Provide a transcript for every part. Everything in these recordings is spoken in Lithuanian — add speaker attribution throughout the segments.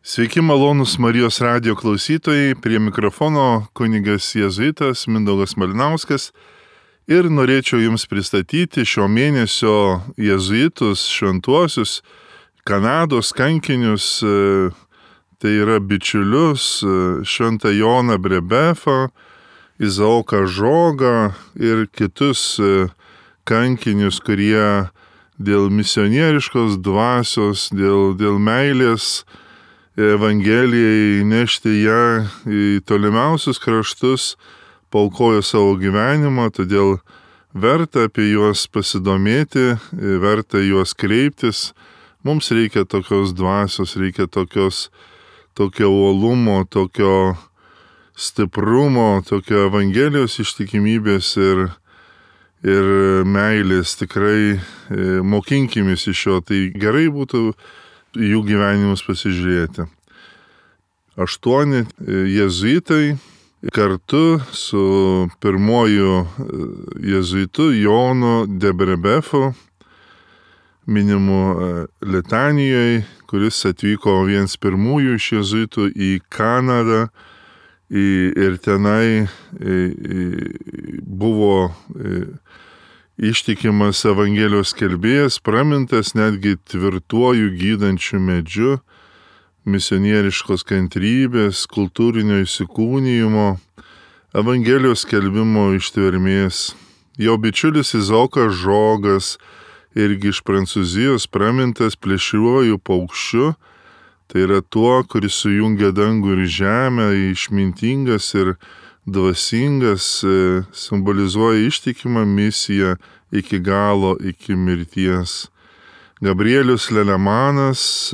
Speaker 1: Sveiki malonūs Marijos radijo klausytojai, prie mikrofono kunigas jėzuitas Mindaugas Malinauskas ir norėčiau Jums pristatyti šio mėnesio jėzuitus šventuosius, Kanados kankinius, tai yra bičiulius Šventą Joną Brebefą, Izaoką Žogą ir kitus kankinius, kurie dėl misionieriškos dvasios, dėl meilės Evangelijai nešti ją į tolimiausius kraštus, paaukojo savo gyvenimą, todėl verta apie juos pasidomėti, verta juos kreiptis. Mums reikia tokios dvasios, reikia tokio uolumo, tokio stiprumo, tokio Evangelijos ištikimybės ir meilės. Tikrai mokinkimės iš jo, tai gerai būtų jų gyvenimus pasižiūrėti. 8 jėzuitai kartu su pirmoju jėzuitu Jonu de Brebefu, minimu Litanijoje, kuris atvyko vienas pirmųjų iš jėzuitų į Kanadą ir tenai buvo ištikimas Evangelijos skelbėjas, pramintas netgi tvirtuoju gydančiu medžiu, misionieriškos kantrybės, kultūrinio įsikūnijimo, Evangelijos skelbimo ištvermės. Jo bičiulis Izaokas Žogas, irgi iš Prancūzijos, pramintas plėšriuoju paukščiu, tai yra tuo, kuris sujungia dangų ir žemę, išmintingas ir dvasingas, simbolizuoja ištikimą misiją iki galo, iki mirties. Gabrielius Lelemanas,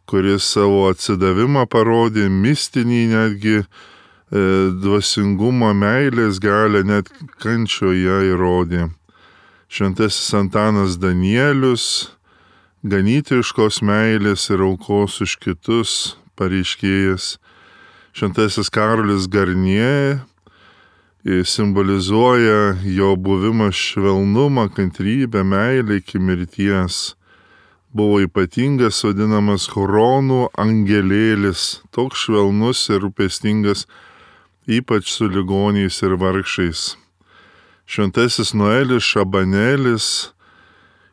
Speaker 1: kuris savo atsidavimą parodė, mistinį netgi dvasingumo, meilės galią, net kančioje įrodė. Šventasis Antanas Danielius, ganytojiškos meilės ir aukos už kitus pareiškėjas. Šventasis Karolis Garnie simbolizuoja jo buvimą švelnumą, kantrybę, meilę iki mirties. Buvo ypatingas, vadinamas Huronų angelėlis, toks švelnus ir rūpestingas, ypač su ligoniais ir vargšais. Šventasis Noelis Šabanelis,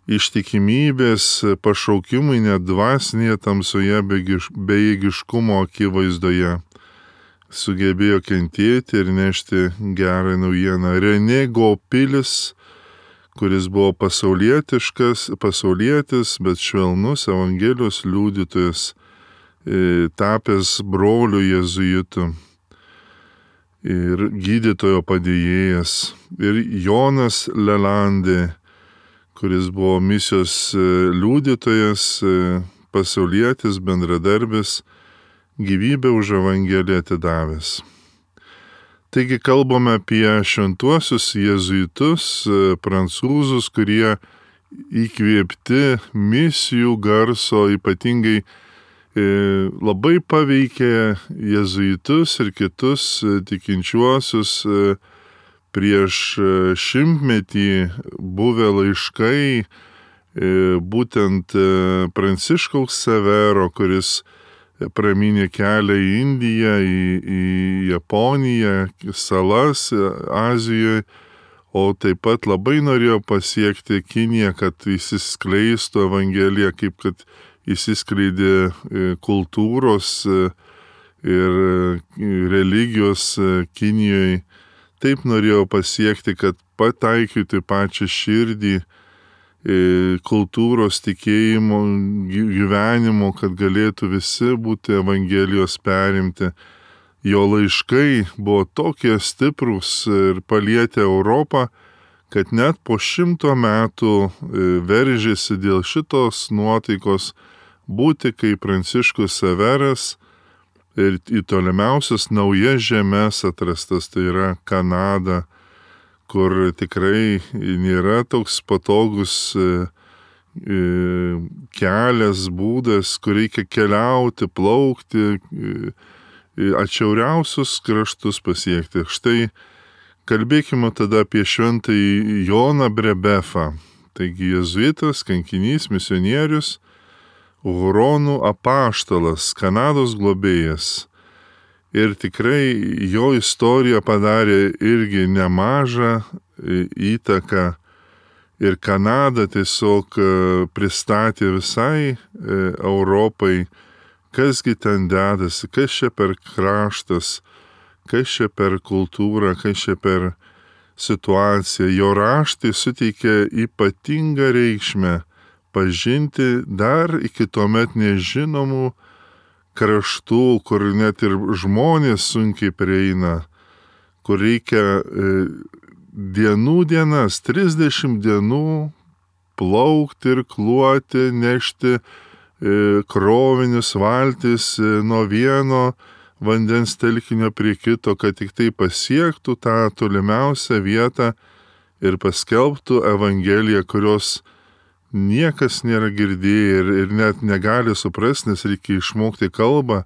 Speaker 1: ištikimybės pašaukimui net dvasinėje tamsoje bejėgiškumo akivaizdoje. Sugebėjo kentėti ir nešti gerą naujieną. Renė Gopilis, kuris buvo pasaulietis, bet švelnus Evangelijos liudytojas, tapęs broliu jėzuitu ir gydytojo padėjėjas. Ir Jonas Lelandė, kuris buvo misijos liudytojas, pasaulietis, bendradarbis, gyvybę už Evangeliją atidavęs. Taigi kalbame apie šventuosius jėzuitus, prancūzus, kurie įkvėpti misijų garso, ypatingai labai paveikė jėzuitus ir kitus tikinčiuosius. Prieš 100-metį buvę laiškai būtent Pranciškaus Severo, kuris pramynė kelią į Indiją, į Japoniją, salas Azijoje, o taip pat labai norėjo pasiekti Kiniją, kad įsiskleistų Evangelija, kaip kad įsiskleidė kultūros ir religijos Kinijoje. Taip norėjo pasiekti, kad pataikytų pačią širdį kultūros, tikėjimo, gyvenimo, kad galėtų visi būti Evangelijos perimti. Jo laiškai buvo tokie stiprūs ir palietė Europą, kad net po 100 metų veržėsi dėl šitos nuotaikos būti kaip Pranciškus Severas ir į tolimiausias naujas žemes atrastas, tai yra Kanada, kur tikrai nėra toks patogus kelias, būdas, kur reikia keliauti, plaukti, atšiauriausius kraštus pasiekti. Štai kalbėkime tada apie Šventąjį Joną Brebefą. Taigi jėzuitas, kankinys, misionierius, Huronų apaštalas, Kanados globėjas. Ir tikrai jo istorija padarė irgi nemažą įtaką. Ir Kanada tiesiog pristatė visai Europai, kasgi ten dedasi, kas čia per kraštas, kas čia per kultūrą, kas čia per situaciją. Jo raštai suteikė ypatingą reikšmę pažinti dar iki tuomet nežinomų kraštų, kur net ir žmonės sunkiai prieina, kur reikia dienas, 30 dienų plaukti ir kluoti, nešti krovinius valtis nuo vieno vandens telkinio prie kito, kad tik tai pasiektų tą tolimiausią vietą ir paskelbtų Evangeliją, kurios niekas nėra girdėję ir net negali suprasti, nes reikia išmokti kalbą.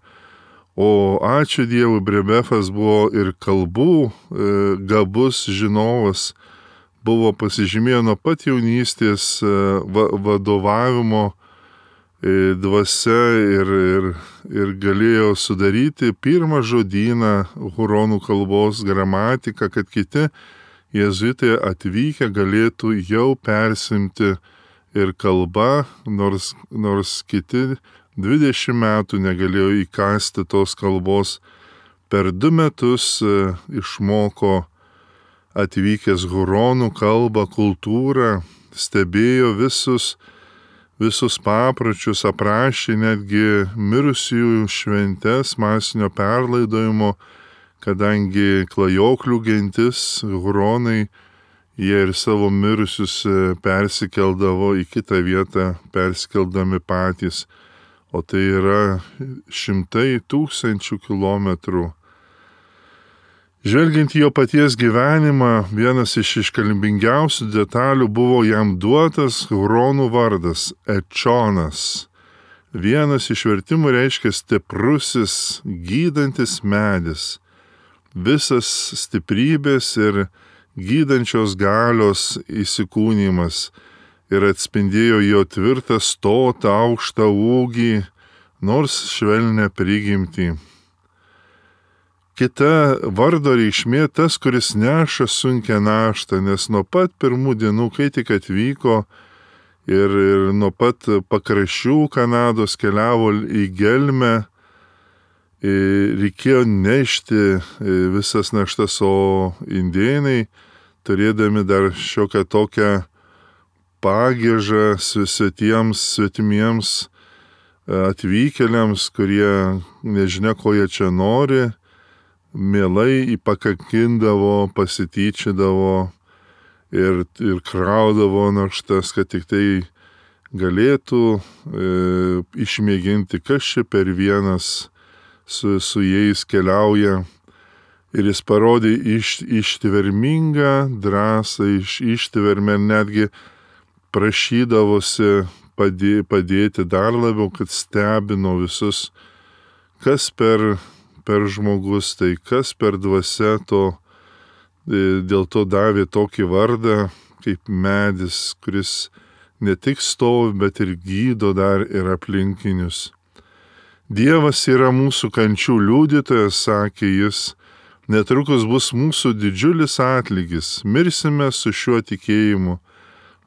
Speaker 1: O ačiū Dievui, Brebefas buvo ir kalbų gabus žinovas, buvo pasižymėjo nuo pat jaunystės vadovavimo dvasia ir galėjo sudaryti pirmą žodyną huronų kalbos gramatiką, kad kiti jėzuitai atvykę galėtų jau persimti ir kalba, nors kiti 20 metų negalėjo įkasti tos kalbos. Per 2 metus išmoko atvykęs huronų kalbą, kultūrą, stebėjo visus papročius, aprašė netgi mirusiųjų šventes masinio perlaidojimo, kadangi klajoklių gentis, huronai, jie ir savo mirusius persikeldavo į kitą vietą, persikeldami patys, o tai yra 100 000 kilometrų. Žvelgiant į jo paties gyvenimą, vienas iš iškalbingiausių detalių buvo jam duotas huronų vardas – Ečonas. Vienas iš vertimų reiškia stiprusis, gydantis medis. Visas stiprybės ir gydančios galios įsikūnymas ir atspindėjo jo tvirtą stotą, aukštą ūgį, nors švelnią prigimtį. Kita vardo reikšmė tas, kuris neša sunkią naštą, nes nuo pat pirmų dienų, kai tik atvyko ir nuo pat pakraščių Kanados keliavo į gelmę, reikėjo nešti visas naštas, o indėnai, turėdami dar šiokią tokią pagiežą svetimiems atvykėliams, kurie nežinia, ko jie čia nori, mielai įpakakindavo, pasityčydavo ir kraudavo naštas, kad tik tai galėtų išmėginti, kas čia per vienas su jais keliauja. Ir jis parodė ištvermingą drąsą, ištvermę, netgi prašydavosi padėti dar labiau, kad stebino visus, kas per žmogus, tai kas per dvasia to, dėl to davė tokį vardą kaip medis, kuris ne tik stovi, bet ir gydo dar ir aplinkinius. Dievas yra mūsų kančių liudytojas, sakė jis, netrukus bus mūsų didžiulis atlygis, mirsime su šiuo tikėjimu,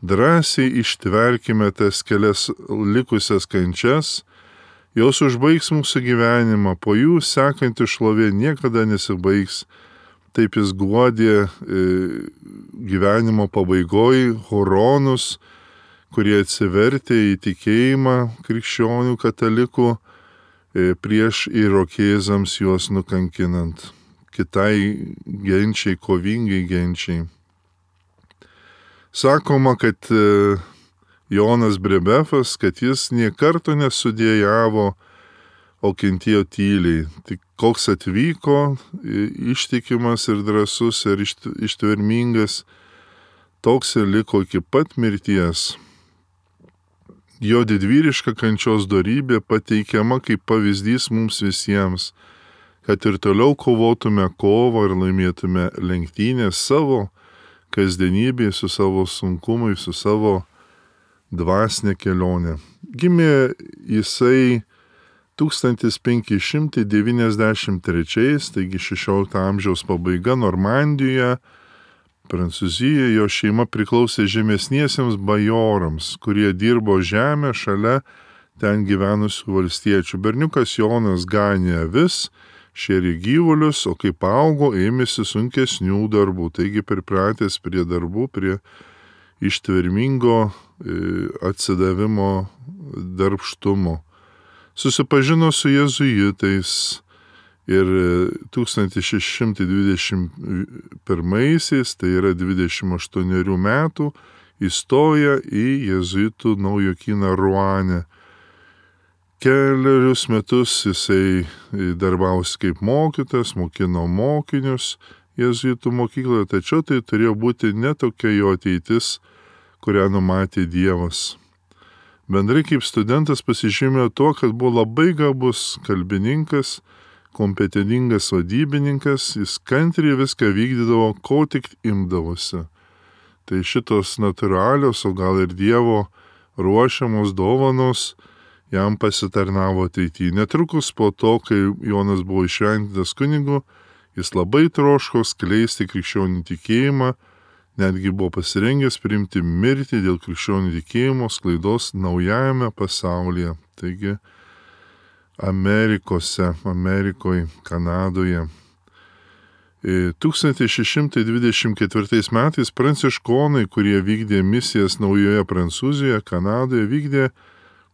Speaker 1: drąsiai ištverkime tas kelias likusias kančias, jos užbaigs mūsų gyvenimą, po jų sekanti šlovė niekada nesibaigs. Taip jis guodė gyvenimo pabaigoj huronus, kurie atsivertė į tikėjimą krikščionių katalikų prieš irokėzams juos nukankinant, kitai genčiai, kovingai genčiai. Sakoma, kad Jonas Brebefas, kad jis nė karto nesudėjavo, o kentėjo tyliai. Tik koks atvyko, ištikimas ir drąsus ir ištvermingas, toks ir liko iki pat mirties. Jo didvyriška kančios dorybė pateikiama kaip pavyzdys mums visiems, kad ir toliau kovotume kovą ir laimėtume lenktynės savo kasdienybėje, su savo sunkumais, su savo dvasinę kelionę. Gimė jisai 1593, taigi 16 amžiaus pabaiga Normandijoje, Prancūzijoje. Jo šeima priklausė žemesniesiems bajorams, kurie dirbo žemę šalia ten gyvenusių valstiečių. Berniukas Jonas ganė avis, šėrė gyvulius, o kai paaugo, ėmėsi sunkesnių darbų, taigi pripratęs prie darbų, prie ištvermingo atsidavimo darbštumo. Susipažino su jėzuitais ir 1621, tai yra 28 metų, įstoja į jėzuitų naujokyną Ruane. Keliarius metus jisai darbavosi kaip mokytas, mokino mokinius jėzuitų mokykloje, tačiau tai turėjo būti netokia jo ateitis, kurią numatė Dievas. Bendrai kaip studentas pasižymėjo tuo, kad buvo labai gabus kalbininkas, kompetentingas vadybininkas, jis kantriai viską vykdydavo, ko tik imdavosi. Tai šitos natūralios, o gal ir Dievo ruošiamos dovanos jam pasitarnavo ateityje. Netrukus po to, kai Jonas buvo išventintas kunigu, jis labai troško skleisti krikščionių tikėjimą, netgi buvo pasirengęs priimti mirtį dėl krikščionių tikėjimo sklaidos naujajame pasaulyje. Taigi Amerikoje, Kanadoje. 1624 metais pranciškonai, kurie vykdė misijas Naujoje Prancūzijoje, Kanadoje, vykdė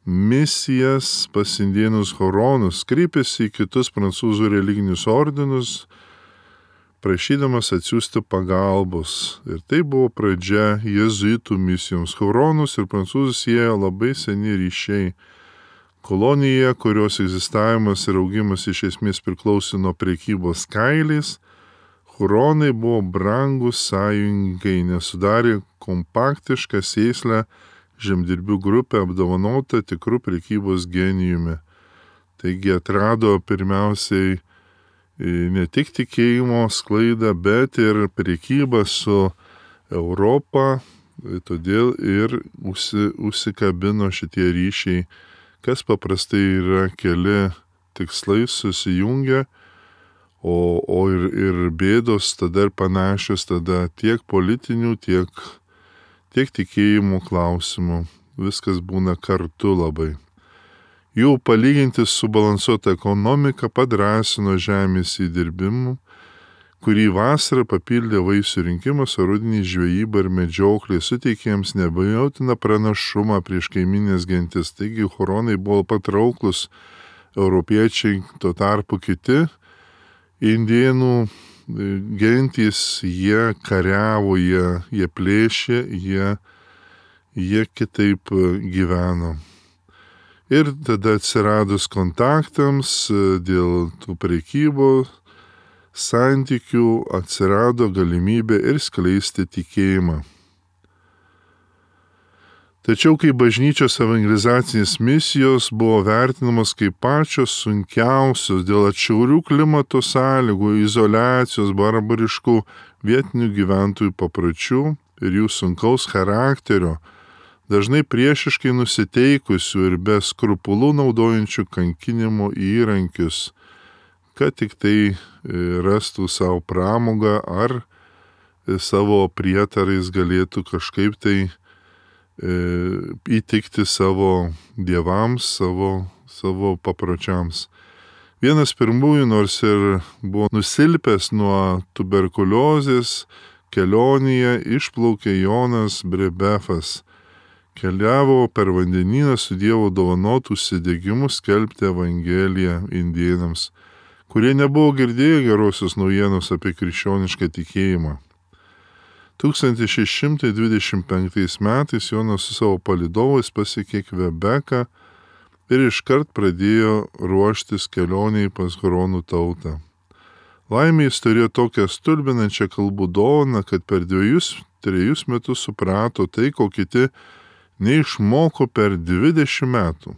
Speaker 1: misijas pas indėnus huronus, kreipėsi į kitus prancūzų religinius ordinus, prašydamas atsiųsti pagalbos. Ir tai buvo pradžia jėzuitų misijoms. Huronus ir prancūzus siejo labai seni ryšiai. Kolonija, kurios egzistavimas ir augimas iš esmės priklausė nuo prekybos kailiais, huronai buvo brangus sąjungininkai, nes sudarė kompaktišką sėslę žemdirbių grupę apdovanotą tikrų prekybos genijumi. Taigi atrado pirmiausiai ne tik tikėjimo sklaidą, bet ir prekybą su Europa, todėl ir užsikabino šitie ryšiai, kas paprastai yra keli tikslai susijungia, o ir bėdos tada ir panašios, tada tiek politinių, tiek tikėjimų klausimų. Viskas būna kartu labai. Jų palyginti subalansuota ekonomika padrąsino žemės įdirbimu, kurį vasarą papildė vaisių rinkimas, o rudenį žvejyba ir medžioklė suteikė jiems neabejotiną pranašumą prieš kaiminės gentis. Taigi huronai buvo patrauklus europiečiai, tuo tarpu kiti indėnų gentys, jie kariavo, jie plėšė, jie kitaip gyveno. Ir tada atsiradus kontaktams dėl tų prekybos santykių atsirado galimybė ir skleisti tikėjimą. Tačiau kai bažnyčios evangelizacinės misijos buvo vertinamos kaip pačios sunkiausios dėl atšiaurių klimato sąlygų, izoliacijos, barbariškų vietinių gyventojų papročių ir jų sunkaus charakterio, dažnai priešiškai nusiteikusių ir be skrupulų naudojančių kankinimo įrankius, kad tik tai rastų savo pramogą ar savo prietarais galėtų kažkaip tai įtikti savo dievams, savo papročiams. Vienas pirmųjų, nors ir buvo nusilpęs nuo tuberkuliozės, kelionėje išplaukė Jonas Brebefas. Keliavo per vandenyną su Dievo dovanotų užsidegimu skelbti Evangeliją indėnams, kurie nebuvo girdėję gerosios naujienos apie krikščionišką tikėjimą. 1625 metais Jonas su savo palydovais pasiekė Kvebeką ir iškart pradėjo ruoštis kelioniai pas huronų tautą. Laimė jis turėjo tokią stulbinančią kalbų dovaną, kad per 2-3 metus suprato tai, ko kiti neišmoko per 20 metų.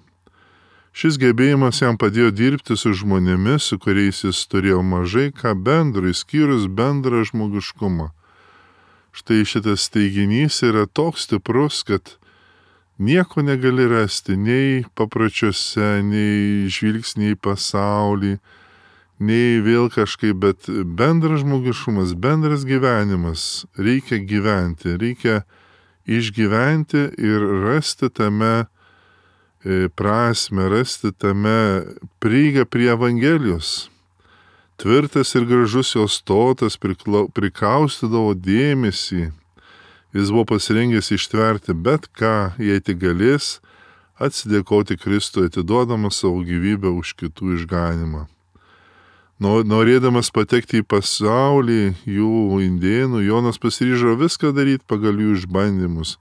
Speaker 1: Šis gebėjimas jam padėjo dirbti su žmonėmis, su kuriais jis turėjo mažai ką bendro, išskyrus bendrą žmogiškumą. Štai šitas teiginys yra toks stiprus, kad nieko negali rasti nei papročiuose, nei žvilgsniai į pasaulį, nei vėl kažkaip, bet bendras žmogiškumas, bendras gyvenimas, reikia gyventi, reikia išgyventi ir rasti tame prasme, rasti tame prieigą prie Evangelijos. Tvirtas ir gražus jos stotas prikaustydavo dėmesį. Jis buvo pasirengęs ištverti bet ką, jei tik galės, atsidėkoti Kristui, atiduodamas savo gyvybę už kitų išganimą. Norėdamas patekti į pasaulį jų indėnų, Jonas pasiryžo viską daryti pagal jų išbandymus,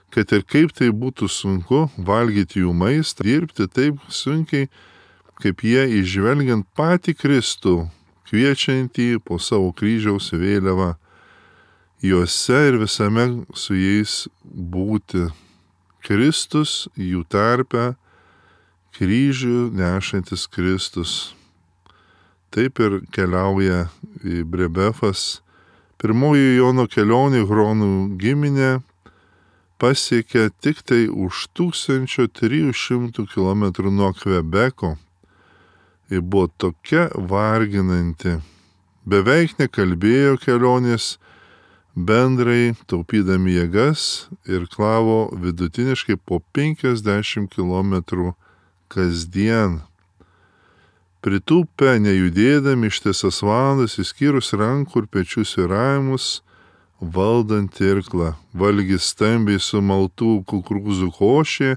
Speaker 1: kad ir kaip tai būtų sunku valgyti jų maistą, dirbti taip sunkiai, kaip jie įžvelgiant patį Kristų, kviečiantį po savo kryžiaus vėliavą, juose ir visame su jais būti. Kristus jų tarpe, kryžių nešantis Kristus. Taip ir keliauja į Brebefas. Pirmoji Jono kelionė Huronų giminė pasiekė tik tai už 1300 km nuo Kvebeko. Ji buvo tokia varginanti. Beveik nekalbėjo kelionės bendrai, taupydami jėgas ir klavo vidutiniškai po 50 km kasdien. Pritūpę, nejudėdami ištisas valandas, išskyrus rankų ir pečių svyravimus, valdant irklą, valgis stambiai sumaltų kukurūzų košė,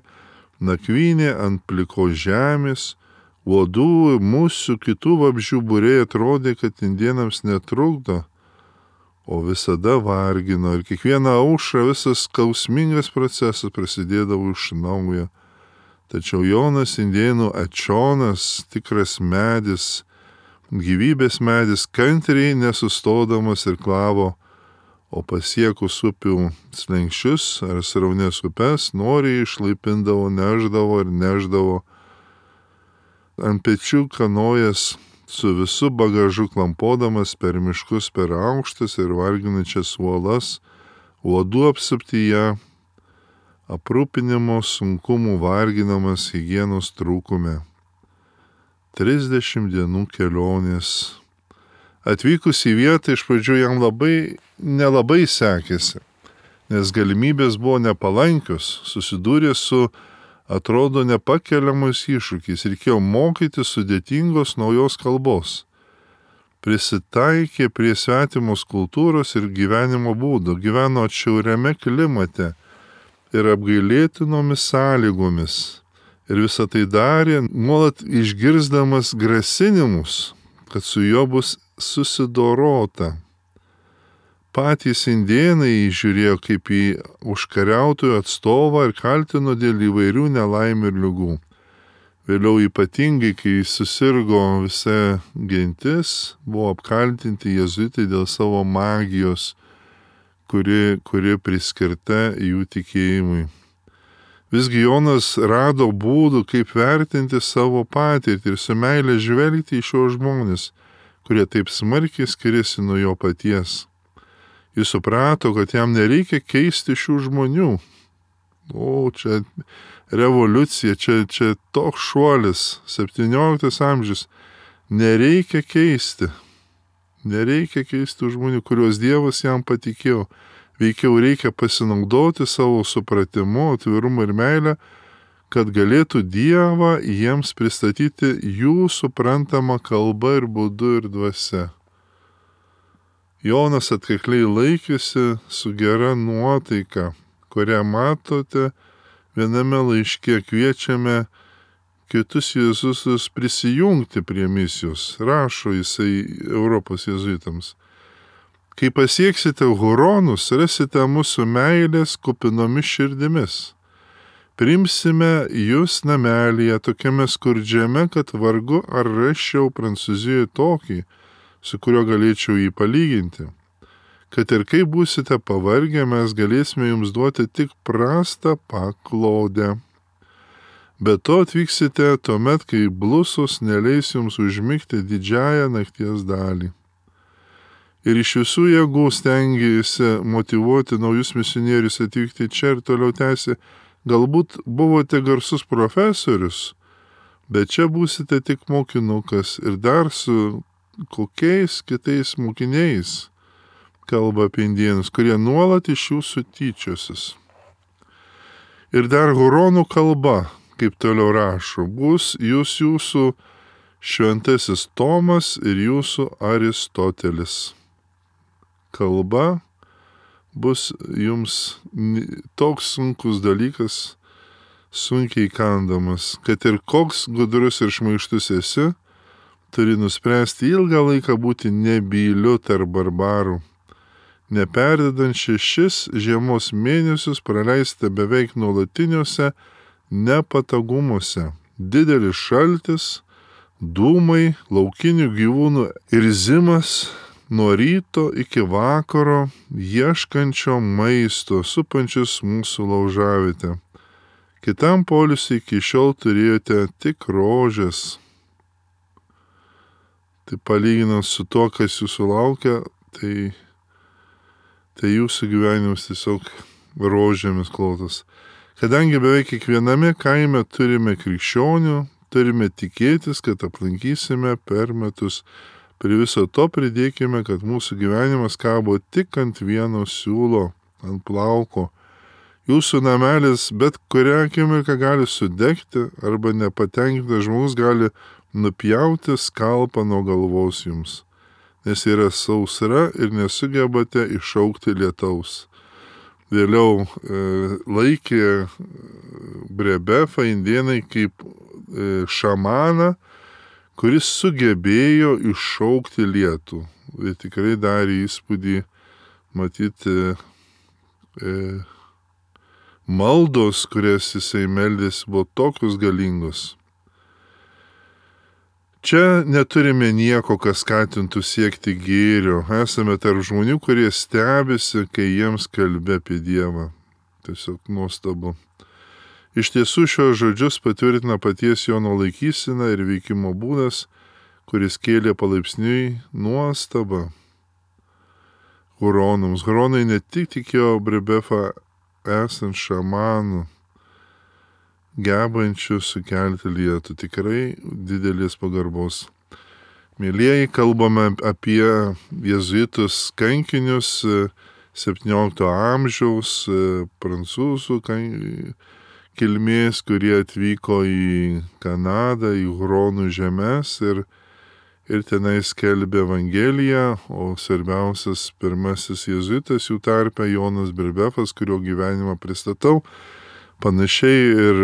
Speaker 1: nakvynė ant plikos žemės, uodų, musių, kitų vabzdžių būriai atrodė, kad indėnams netrukdo, o visada vargino ir kiekvieną aušrą visas skausmingas procesas prasidėdavo iš naujo. Tačiau Jonas indėnų Ačionas, tikras medis, gyvybės medis, kantriai nesustodamas ir klavo, o pasiekus upių slenkščius ar sraunės upes, noriai išlaipindavo, neždavo, ant pečių kanojas su visu bagažu klampodamas per miškus, per aukštas ir varginančias uolas, uodų apsuptyje, aprūpinimo sunkumų varginamas higienos trūkume. 30 dienų kelionės. Atvykus į vietą iš pradžių jam nelabai sekėsi, nes galimybės buvo nepalankios, susidūrė su, atrodo, nepakeliamais iššūkiais, reikėjo mokyti sudėtingos naujos kalbos. Prisitaikė prie svetimos kultūros ir gyvenimo būdo, gyveno atšiauriame klimate ir apgailėtinomis sąlygomis. Ir visą tai darė, nuolat išgirsdamas grasinimus, kad su juo bus susidorota. Patys indėnai žiūrėjo kaip į užkariautojų atstovą ir kaltino dėl įvairių nelaimių ir ligų. Vėliau ypatingai, kai susirgo visa gentis, buvo apkaltinti jėzuitai dėl savo magijos, kuri priskirta jų tikėjimui. Visgi Jonas rado būdų, kaip vertinti savo patirtį ir su meile žvelgti į šios žmonės, kurie taip smarkiai skiriasi nuo jo paties. Jis suprato, kad jam nereikia keisti šių žmonių. Čia revoliucija, čia toks šuolis, 17 amžius. Nereikia keisti žmonių, kuriuos Dievas jam patikėjo. Veikiau reikia pasinaudoti savo supratimu, atvirumu ir meilę, kad galėtų Dievą jiems pristatyti jų suprantamą kalbą ir būdu ir dvasia. Jonas atkakliai laikėsi su gera nuotaika, kurią matote viename laiške, kviečiame kitus jėzusus prisijungti prie misijos, rašo jisai Europos jėzuitams. Kai pasieksite Huronus, rasite mūsų meilės kupinomis širdimis. Primsime jūs namelyje tokiame skurdžiame, kad vargu ar rasčiau Prancūzijoje tokį, su kuriuo galėčiau jį palyginti. Kad ir kaip būsite pavargę, mes galėsime jums duoti tik prastą paklodę. Be to atvyksite tuomet, kai blusos neleis jums užmigti didžiąją nakties dalį. Ir iš visų jėgų stengiasi motyvuoti naujus misionierius atvykti čia ir toliau tęsti Galbūt buvote garsus profesorius, bet čia būsite tik mokinukas ir dar su kokiais kitais mokiniais kalba apie indėnus, kurie nuolat iš jūsų tyčiosis. Ir dar huronų kalba, kaip toliau rašo, bus jūsų šventasis Tomas ir jūsų Aristotelis. Kalba bus jums toks sunkus dalykas, sunkiai kandamas, kad ir koks gudrus ir šmaištus esi, turi nuspręsti ilgą laiką būti nebyliu tarp barbarų, neperdedant 6 žiemos mėnesius praleisite beveik nuolatiniuose nepatogumuose. Didelis šaltis, dūmai, laukinių gyvūnų irzimas nuo ryto iki vakaro, ieškančio maisto, supančius mūsų laužavietę. Kitam poilsiui iki šiol turėjote tik rožės. Tai palyginant su to, kas jūsų laukia, tai jūsų gyvenimas tiesiog rožėmis klotas. Kadangi beveik kiekviename kaime turime krikščionių, turime tikėtis, kad aplankysime per metus. Prie viso to pridėkime, kad mūsų gyvenimas kabo tik ant vieno siūlo, ant plauko. Jūsų namelis bet kurią akimirką gali sudegti arba nepatenkintas žmogus gali nupjauti skalpą nuo galvos jums, nes yra sausra ir nesugebate iššaukti lietaus. Vėliau laikė Brebefą indėnai kaip šamaną, kuris sugebėjo iššaukti lietų. Ir tikrai darė įspūdį matyti maldos, kurias jisai meldėsi, buvo tokios galingos. Čia neturime nieko, kas skatintų siekti gėrio. Esame tarp žmonių, kurie stebisi, kai jiems kalbė apie Dievą. Tiesiog nuostabu. Iš tiesų šios žodžius patvirtina paties Jono laikysena ir veikimo būdas, kuris kėlė palaipsniui nuostabą huronams. Huronai ne tik tikėjo Brebefą esant šamanų, gebančių sukelti lietų, tikrai didelės pagarbos. Mėlieji, kalbame apie jėzuitus kankinius 17 amžiaus prancūzų kilmės, kurie atvyko į Kanadą, į huronų žemes ir tenai skelbė Evangeliją, o svarbiausias pirmasis jėzuitas jų tarpe Jonas Brebefas, kurio gyvenimą pristatau. Panašiai ir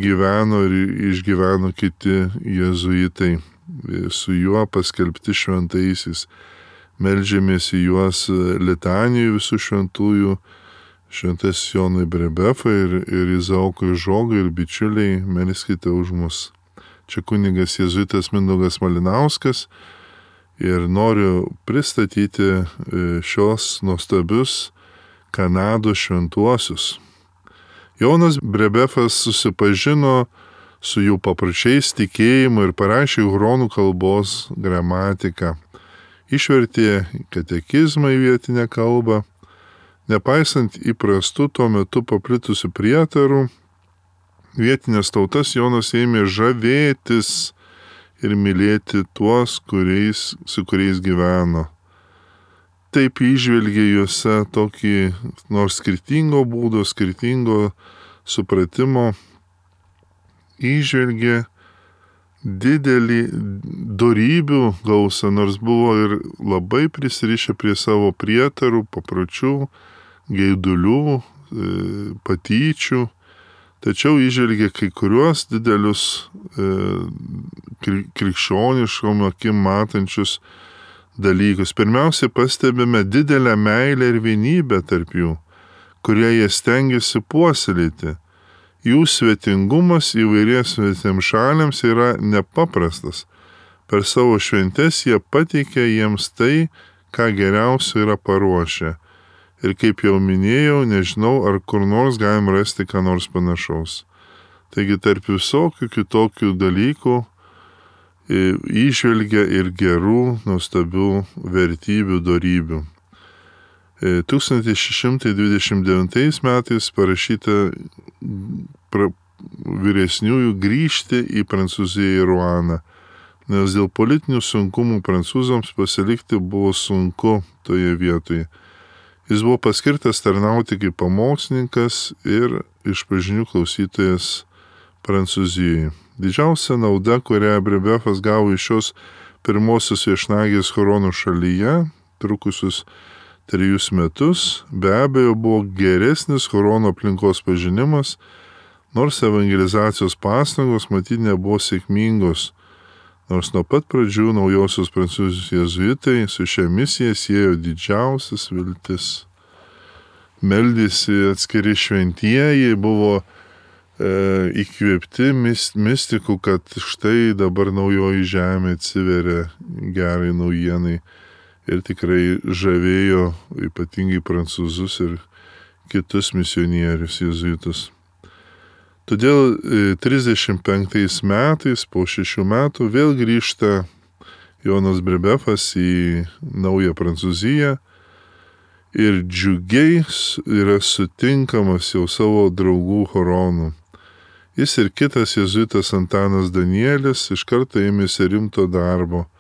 Speaker 1: gyveno ir išgyveno kiti jėzuitai, su juo paskelbti šventaisiais. Meldžiamės į juos litanijų visų šventųjų, šventas Jonui Brebefai ir Izaokui Žogui ir bičiuliai, melskite už mus. Čia kunigas jėzuitas Mindaugas Malinauskas ir noriu pristatyti šios nuostabius Kanados šventuosius. Jonas Brebefas susipažino su jų papročiais, tikėjimu ir parašė huronų kalbos gramatiką. Išvertė katekizmą į vietinę kalbą. Nepaisant įprastų tuo metu paplitusių prietarų, vietinės tautas Jonas ėmė žavėtis ir mylėti tuos, su kuriais gyveno. Taip įžvelgė juose tokį nors skirtingo būdo, skirtingo supratimo, įžvelgė didelį dorybių gausą, nors buvo ir labai prisirišę prie savo prietarų, papročių, geidulių, patyčių, tačiau įžvelgė kai kuriuos didelius krikščioniškom akim matančius dalykus. Pirmiausia, pastebime didelę meilę ir vienybę tarp jų, kurie jie stengiasi puoselėti. Jų svetingumas įvairiems svetimšaliams yra nepaprastas. Per savo šventes jie pateikia jiems tai, ką geriausio yra paruošę. Ir kaip jau minėjau, nežinau, ar kur nors galim rasti ką nors panašaus. Taigi tarp visokių kitokių dalykų įžvelgia ir gerų, nuostabių vertybių, dorybių. 1629 metais parašyta vyresniųjų grįžti į Prancūziją ir Ruaną, nes dėl politinių sunkumų prancūzams pasilikti buvo sunku toje vietoje. Jis buvo paskirtas tarnauti kaip pamokslininkas ir išpažinių klausytojas Prancūzijoje. Didžiausia nauda, kurią Brebefas gavo iš šios pirmosios viešnagės Huronų šalyje, trukusius 3 metus, be abejo buvo geresnis Huronų aplinkos pažinimas, nors evangelizacijos pastangos matyt nebuvo sėkmingos, nors nuo pat pradžių naujosios Prancūzijos jėzuitai su šia misija siejo didžiausias viltis. Meldėsi atskiri šventieji, buvo įkvėpti mistikų, kad štai dabar naujoji žemė atsiveria gerai naujienai ir tikrai žavėjo ypatingai prancūzus ir kitus misionierius jėzuitus. Todėl 35 metais, po 6 metų, vėl grįžta Jonas Brebefas į naują Prancūziją ir džiugiai yra sutinkamas jau savo draugų Huronų. Jis ir kitas jėzuitas Antanas Danielis iš karto ėmėsi rimto darbo.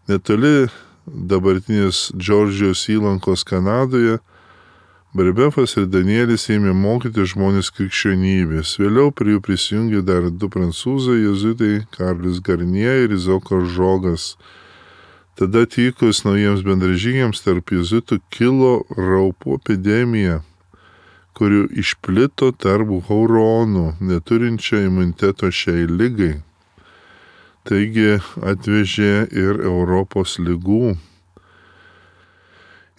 Speaker 1: Netoli dabartinės Džordžijos įlankos Kanadoje Brebefas ir Danielis ėmė mokyti žmonės krikščionybės. Vėliau prie jų prisijungė dar 2 prancūzai jėzuitai, Karlis Garnie ir Izaokas Žogas. Tada atvykus naujiems bendražygiams tarp jėzuitų kilo raupų epidemija, kurių išplito tarp Huronų, neturinčio imuniteto šiai ligai. Taigi atvežė ir Europos ligų.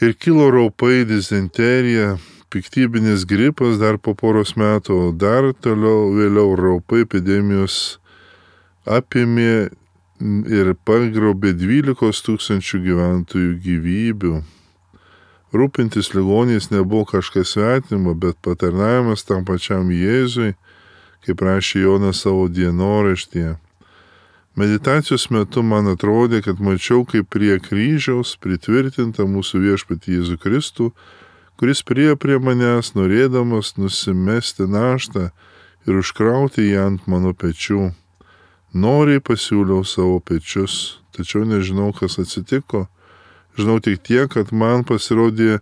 Speaker 1: Ir kilo raupai, dizenterija, piktybinis gripas dar po poros metų, o dar toliau vėliau raupai epidemijos apėmė ir pagrobė 12 000 gyventojų gyvybių. Rūpintis ligoniais nebuvo kažkas svetimo, bet patarnavimas tam pačiam Jėzui, kaip rašė Jonas savo dienoraštyje. Meditacijos metu man atrodė, kad mačiau, kaip prie kryžiaus pritvirtinta mūsų viešpatį Jėzų Kristų, kuris priėjo prie manęs, norėdamas nusimesti naštą ir užkrauti ją ant mano pečių. Noriai pasiūliau savo pečius, tačiau nežinau, kas atsitiko. Žinau tik tiek, kad man pasirodė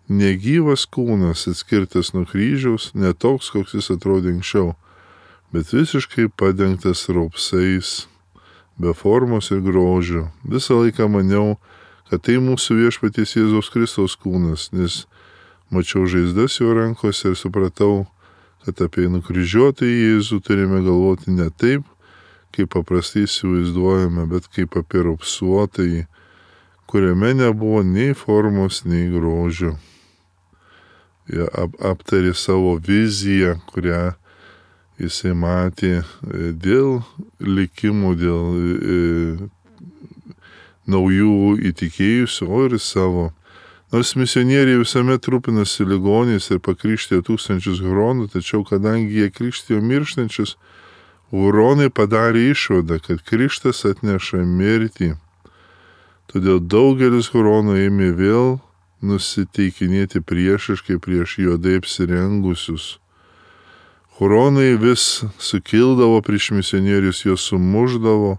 Speaker 1: negyvas kūnas atskirtas nuo kryžiaus, ne toks, koks jis atrodė anksčiau, bet visiškai padengtas raupsais, be formos ir grožio. Visą laiką maniau, kad tai mūsų viešpaties Jėzaus Kristaus kūnas, nes mačiau žaizdas jo rankose ir supratau, kad apie nukryžiuotąjį Jėzų turime galvoti ne taip, kaip paprastai įsivaizduojame, bet kaip apie raupsuotąjį, kuriame nebuvo nei formos, nei grožio. Jie aptarė savo viziją, kurią jisai matė dėl likimų, dėl naujų įtikėjusių, o ir savo. Nors misionieriai visuomet rūpinasi ligoniais ir pakrikštijo 1000 huronų, tačiau kadangi jie krikštijo mirštančius, huronai padarė išvadą, kad krikštas atneša mirtį. Todėl daugelis huronų ėmė vėl nusiteikinėti priešiškai prieš juodai apsirengusius. Huronai vis sukildavo prieš misionierius, juos sumuždavo,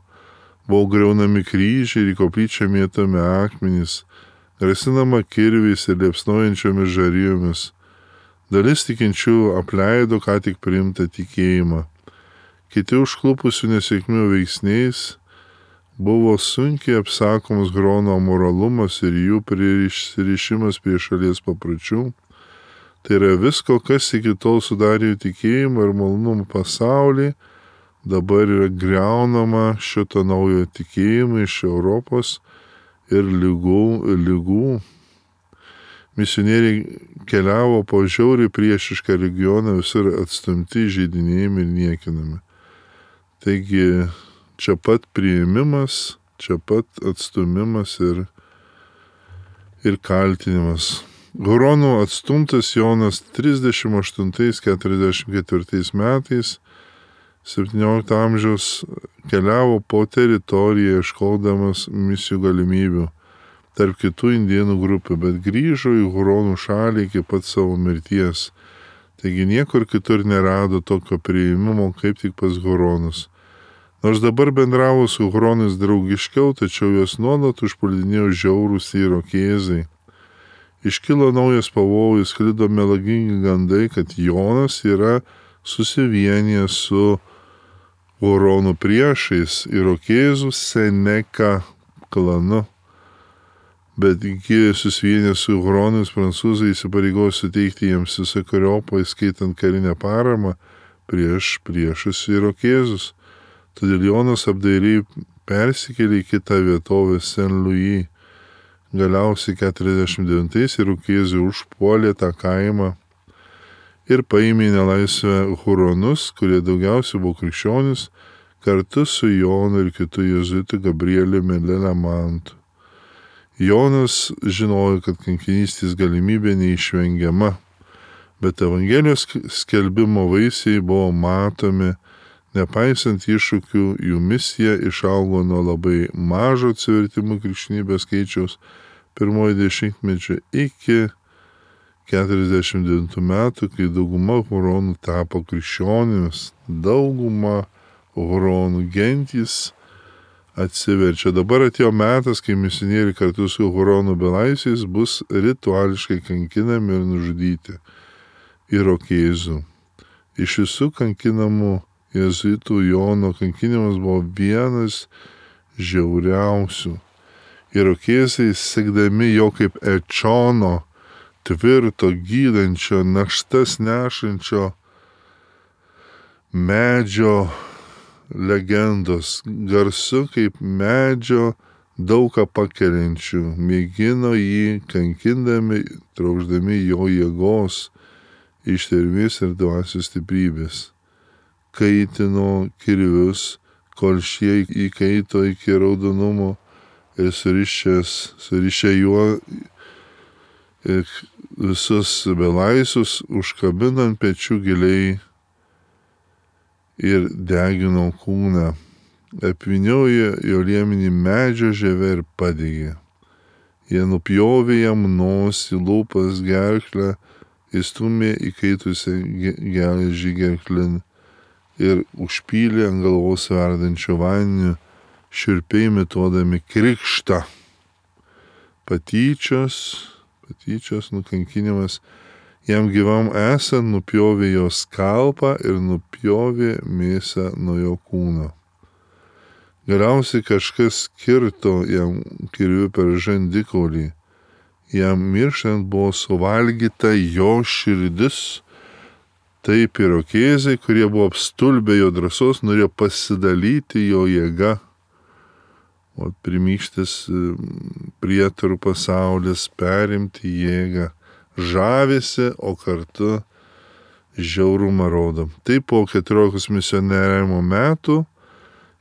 Speaker 1: buvo griaunami kryžiai ir į koplyčią mėtomi akmenys, grasinama kirviais ir liepsnojančiomis žarijomis. Dalis tikinčių apleido ką tik priimtą tikėjimą. Kiti užklupusių nesėkmių veiksniais buvo sunkiai apsakomas huronų amoralumas ir jų prisirišimas prie šalies papročių. Tai yra visko, kas iki tol sudarė jų tikėjimą ir malonumų pasaulį, dabar yra griaunama šito naujo tikėjimo iš Europos ir lygų. Misionieriai keliavo po žiauriai priešišką regioną, visur atstumti, žeidinėjami ir niekinami. Taigi čia pat priėmimas, čia pat atstumimas ir kaltinimas. Huronų atstumtas Jonas 38-44 metais 17 amžiaus keliavo po teritoriją ieškodamas misijų galimybių. tarp kitų indėnų grupių, bet grįžo į Huronų šalį iki pat savo mirties. Taigi niekur kitur nerado tokio priėmimo, kaip tik pas Huronus. Nors dabar bendravo su Huronais draugiškiau, tačiau juos nuolat užpuldinėjo žiaurūs irokėzai. Iškilo naujas pavojus, sklido melagingi gandai, kad Jonas yra susivienijęs su Huronų priešais irokėzų Seneka klanu. Bet iki susivienęs su Huronais prancūzai įsipareigojo suteikti jiems visokeriopą, įskaitant karinę paramą priešus irokėzus. Todėl Jonas apdairiai persikėlė į kitą vietovę Saint-Louis. Galiausiai 49-ais irokėzai užpuolė tą kaimą ir paėmė į nelaisvę Huronus, kurie daugiausiai buvo krikščionys, kartu su Jonu ir kitu jėzuitu Gabrieliumi Lelamantu. Jonas žinojo, kad kankinystės galimybė neišvengiama, bet Evangelijos skelbimo vaisiai buvo matomi, nepaisant iššūkių, jų misija išaugo nuo labai mažo atsivertimų krikščionybės skaičiaus pirmojo dešimtmečio iki 49 metų, kai dauguma Huronų tapo krikščionimis, dauguma Huronų gentys atsiverčia. Dabar atėjo metas, kai misionieriai kartu su Huronų belaisviais bus rituališkai kankinami ir nužudyti irokėzų. Iš visų kankinamų jėzuitų Jono kankinimas buvo vienas žiauriausių. Irokėzai, sekdami jo kaip Ečono, tvirto, gydančio, naštas nešančio medžio legendos, garsu kaip medžio daugą pakeliančių, mėgino jį kankindami, trauždami jo jėgos, ištvermės ir dvasios stiprybės. Kaitino kirvius, kol šie įkaito iki raudonumo ir surišę juo visus belaisvius, užkabinant pečių giliai ir degino kūną, apvyniojo jo liemenį medžio žieve ir padegė. Jie nupjovė jam nosį, lūpas, gerklę, įstumė įkaitusią geležį gerklin ir užpylė ant galvos verdančio vandeniu, šiurpiai imituodami krikštą. Patyčios nukankinimas. Jam gyvam esant nupjovė jo skalpą ir nupjovė mėsą nuo jo kūno. Galiausiai kažkas kirto jam kirviu per žandikaulį. Jam mirštant buvo suvalgyta jo širdis. Taip irokėzai, kurie buvo apstulbę jo drąsos, norėjo pasidalyti jo jėga. O primykštis prietarų pasaulis perimti jėgą. Žavisi, o kartu žiaurumą rodo. Taip po 14 misionieriavimo metų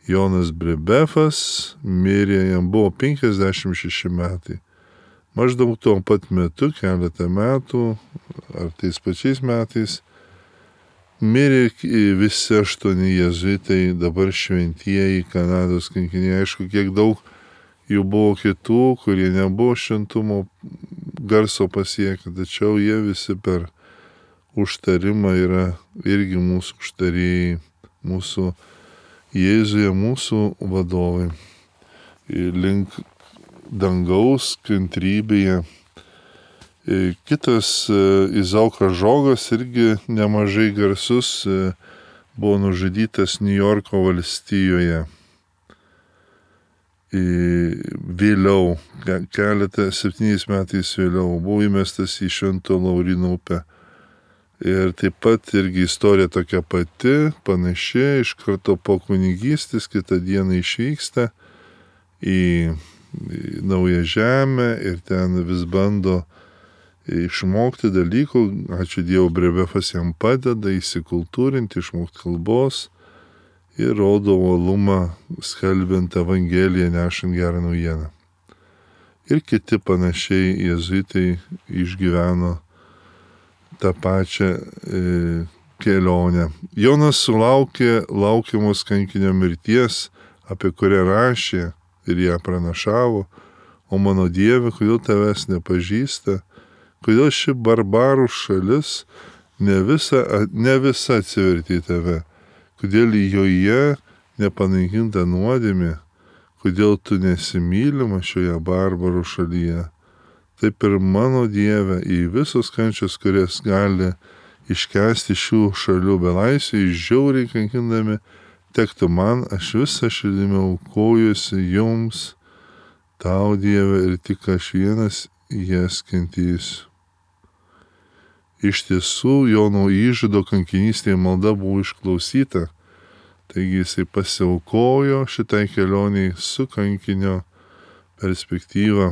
Speaker 1: Jonas Brebefas mirė, jam buvo 56 metai. Maždaug tuo pat metu, keletą metų, ar tais pačiais metais, mirė visi 8 jėzuitai, dabar šventieji Kanados kankiniai. Aišku, kiek daug jų buvo kitų, kurie nebuvo šventumo garso pasiekę, tačiau jie visi per užtarimą yra irgi mūsų užtarėjai, mūsų Jėzuje, mūsų vadovai. Link dangaus kantrybėje. Kitas Izaukas Žogas, irgi nemažai garsus, buvo nužudytas Niujorko valstijoje. Vėliau, 7 metais vėliau, buvo įmestas į Švento Lauryno upę. Ir taip pat irgi istorija tokia pati, panaši, iš karto po kunigystės, kitą dieną išvyksta į naują žemę ir ten vis bando išmokti dalykų. Ačiū Dievui, Brebefas jam padeda įsikultūrinti, išmokti kalbos ir rodo uolumą skelbiant Evangeliją, nešant gerą naujieną. Ir kiti panašiai jėzuitai išgyveno tą pačią kelionę. Jonas sulaukė laukiamos kankinio mirties, apie kurią rašė ir ją pranašavo, O mano Dieve, kodėl tavęs nepažįsta, kodėl ši barbarų šalis ne visa atsivertė į tave, kodėl joje nepanaikinta nuodėmė, kodėl tu nesimylima šioje barbarų šalyje. Taip ir mano Dieve, į visos kančios, kurias gali iškęsti šių šalių belaisviai, žiauriai kankindami, tektų man, aš visą širdimi aukojuosi jums, tau Dieve, ir tik aš vienas jas kentysiu. Iš tiesų, Jono Įžado kankinystėje malda buvo išklausyta, taigi jisai pasiaukojo šitai kelioniai su kankinio perspektyva.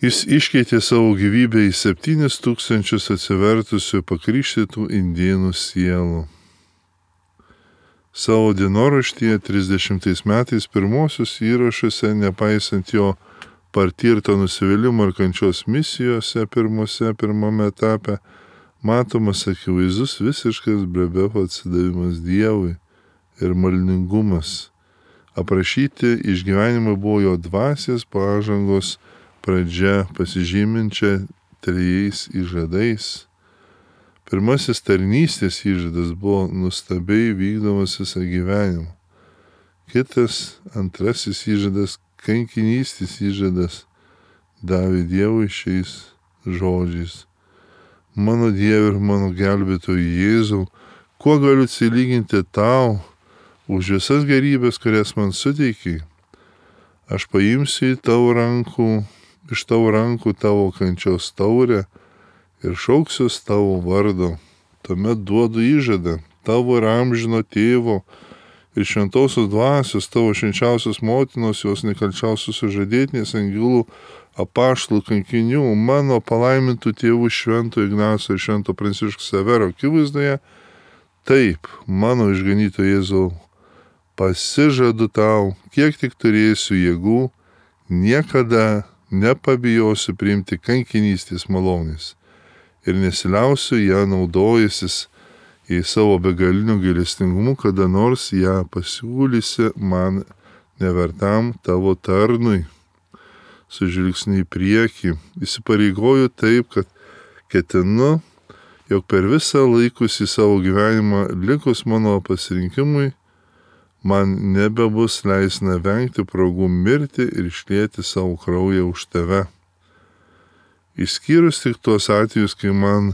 Speaker 1: Jis iškeitė savo gyvybę į 7,000 atsivertusių pakrikštytų indėnų sielų. Savo dienoraštyje 30 metais pirmosius įrašuose, nepaisant jo patirto nusivylimo ir kančios misijose pirmame etape, matomas akivaizdus visiškas Brebefo atsidavimas Dievui ir maldingumas. Aprašyti išgyvenimai buvo jo dvasios pažangos pradžia, pasižyminčia 3 įžadais. Pirmasis tarnystės įžadas buvo nuostabiai vykdomas visą gyvenimą. Kitas, antrasis įžadas, kankinystės įžadas, davė Dievui šiais žodžiais. Mano Dieve ir mano gelbėtojau Jėzau, kuo galiu atsilyginti tau už visas gerybės, kurias man suteikiai? Aš paimsiu iš tavo rankų tavo kančios taurę ir šauksiuos tavo vardo. Tuomet duodu įžadą tavo ir amžino tėvo ir šventosios dvasios, tavo švenčiausios motinos, jos nekalčiausios sužadėtinės angelų, apaštalų, kankinių, mano palaimintų tėvų Švento Ignaco ir Švento Pranciškaus Severo akivaizdoje. Taip, mano išganyto Jėzau, pasižadu tau, kiek tik turėsiu jėgų, niekada nepabijosiu priimti kankinystės malonės ir nesiliausiu ją naudojasis į savo begaliniu gailestingumu, kada nors ją pasiūlysi man nevertam tavo tarnui. Su žvilgsniu į priekį įsipareigoju taip, kad ketinu, jog per visą laikusį savo gyvenimą likus mano pasirinkimui, man nebebus leisna vengti progų mirti ir išlieti savo kraują už tave. Išskyrus tik tuos atvejus, kai man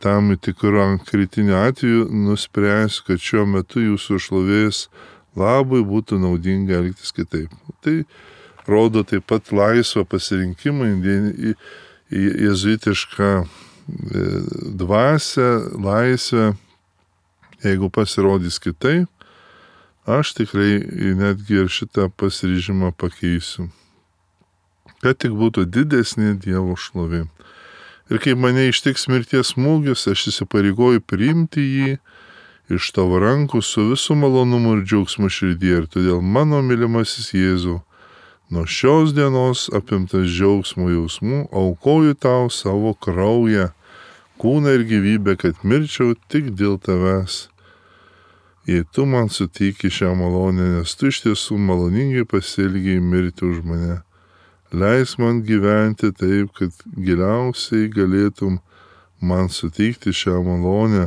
Speaker 1: tam tikru kritiniu atveju nuspręsiu, kad šiuo metu jūsų šlovės labui būtų naudinga elgtis kitaip. Tai rodo taip pat laisvą pasirinkimą į jėzuitišką dvasią, laisvę. Jeigu pasirodys kitaip, aš tikrai netgi ir šitą pasiryžimą pakeisiu, kad tik būtų didesnė Dievo šlovė. Ir kai mane ištiks mirties smūgis, aš įsipareigoju priimti jį iš tavo rankų su visų malonumu ir džiaugsmu širdyje. Ir todėl mano mylimasis Jėzau, nuo šios dienos apimtas džiaugsmo jausmų, aukoju tau savo kraują, kūną ir gyvybę, kad mirčiau tik dėl tavęs. Jei tu man suteiki šią malonę, nes tu iš tiesų maloningai pasielgiai mirti už mane. Leis man gyventi taip, kad giliausiai galėtum man suteikti šią malonę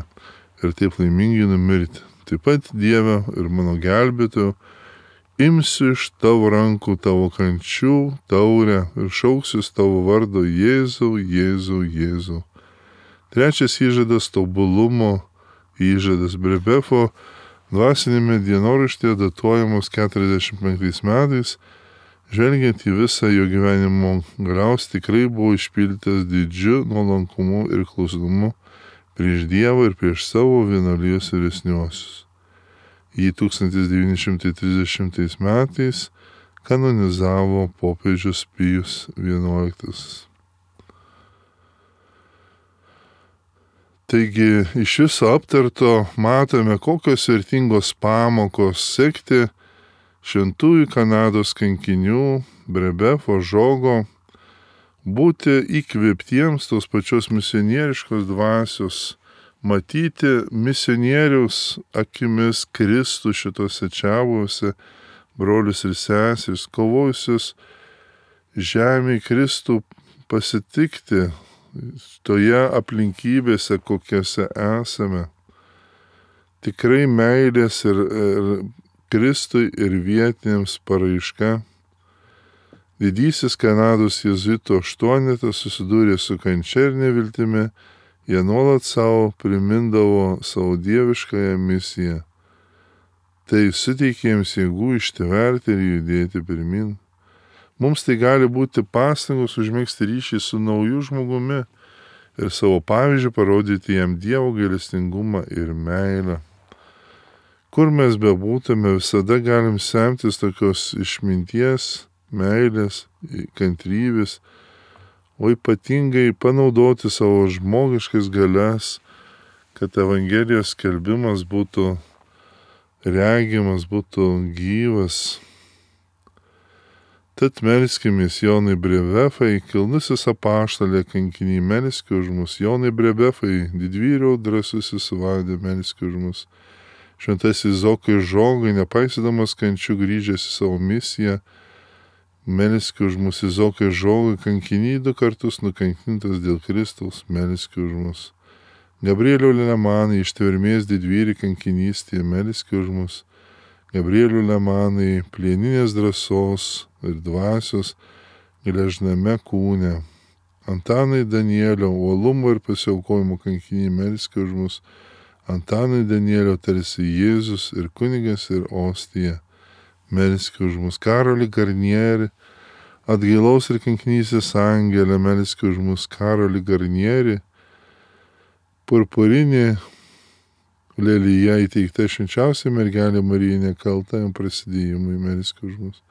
Speaker 1: ir taip laimingai numirti. Taip pat Dieve ir mano gelbėtojau, imsiu iš tavo rankų tavo kančių taurę ir šauksius tavo vardo Jėzau, Jėzau, Jėzau. Trečias įžadas tobulumo įžadas Brebefo dvasinėme dienoraštyje datuojamos 45 metais, žvelgiant į visą jo gyvenimo galiaus, tikrai buvo išpildytas didžiu nuolankumu ir klusnumu prieš Dievą ir prieš savo vienuolijos vyresniuosius. Jį 1930 metais kanonizavo popiežius Pijus XI. Taigi iš viso aptarto matome, kokios vertingos pamokos sekti šventųjų Kanados kankinių Brebefo Žogo, būti įkvėptiems tos pačios misionieriškos dvasios, matyti misionieriaus akimis Kristų šitose čiabuose, brolius ir seseris, kovojusius žemėje Kristų pasitikti toje aplinkybėse, kokiose esame. Tikrai meilės ir Kristui ir vietiniams paraiška. Didysis Kanados jėzuitų aštuonetas susidūrė su kančia ir neviltimi, jie nuolat savo primindavo savo dieviškąją misiją. Tai suteikė jiems jėgų ištverti ir judėti pirmin. Mums tai gali būti pastangos užmegzti ryšį su nauju žmogumi ir savo pavyzdžiu parodyti jam Dievo gailestingumą ir meilę. Kur mes bebūtume, visada galim semtis tokios išminties, meilės, kantrybės, o ypatingai panaudoti savo žmogiškas galias, kad Evangelijos skelbimas būtų regimas, būtų gyvas. Tad melskimės Jonai Brevefai, kilnusis apaštalė kankiniai, melski už mus. Jonai Brevefai, didvyriau drąsusis vadė, melski už mus. Šventasis Zokai Žogai, nepaisydamas kančių grįžęs į savo misiją, melski už mus. Zokai Žogai, kankiniai 2 kartus nukankintas dėl Kristaus, melski už mus. Gabrieliau Lemanai, ištvermės didvyri kankinystėje, melski už mus. Gabrielių Lemanai, plieninės drąsos ir dvasios gležname kūne. Antanai Danielio, uolumo ir pasiaukojimo kankiniai, melski už mus. Antanai Danielio, tarsi Jėzus ir kunigas ir ostija, melski už mus. Karolį Garnierį, atgailaus ir kankinystės angelę, melski už mus. Karolį Garnierį, purpurinį lelyje įteikta švenčiausia mergelė Marija nekalta jam prasidėjimui, melski už mus.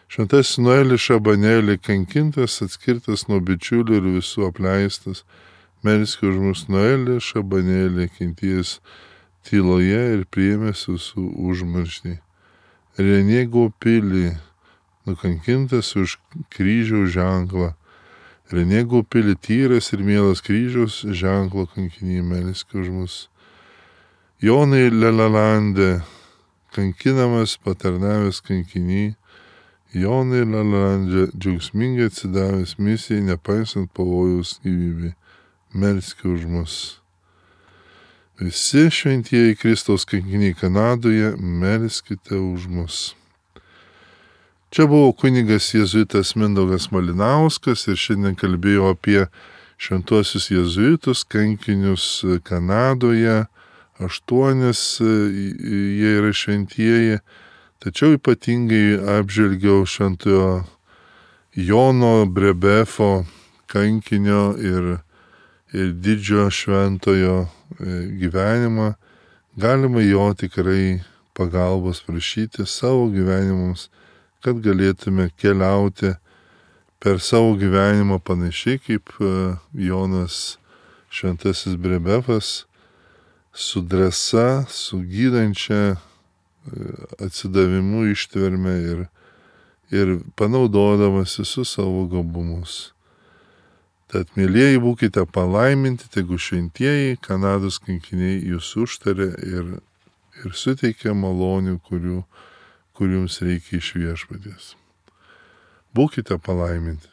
Speaker 1: Šventasis Noelis Šabanėlį, kankintas, atskirtas nuo bičiulių ir visų apleistas, melski už mus. Noelis Šabanėlį, kentėjęs tyloje ir priėmęs visų užmarštį. Renė Gaupilį, nukankintas už kryžiaus ženklą. Renė Gaupilį, tyras ir mielas kryžiaus ženklo kankiniai, melski už mus. Jonai Lelalandė, kankinamas, patarnavęs kankiniai, Jonai Lelalandė, džiaugsmingai atsidavęs misijai, nepaisant pavojaus gyvybei, melski už mus. Visi šventieji Kristaus kankiniai Kanadoje, melskite už mus. Čia buvo kunigas jėzuitas Mindaugas Malinauskas ir šiandien kalbėjau apie šventuosius jėzuitus, kankinius Kanadoje. 8 jie yra šventieji, tačiau ypatingai apžvelgiau šventojo Jono Brebefo kankinio ir didžio šventojo gyvenimą. Galima jo tikrai pagalbos prašyti savo gyvenimams, kad galėtume keliauti per savo gyvenimą panašiai kaip Jonas šventasis Brebefas, su drąsa, su gydančia atsidavimu ištverme ir panaudodamas visus savo gabumus. Tad, mėlyjeji, būkite palaiminti, tegu šventieji Kanados kankiniai jūs užtaria ir suteikia malonių, kurių jums reikia iš Viešpaties. Būkite palaiminti.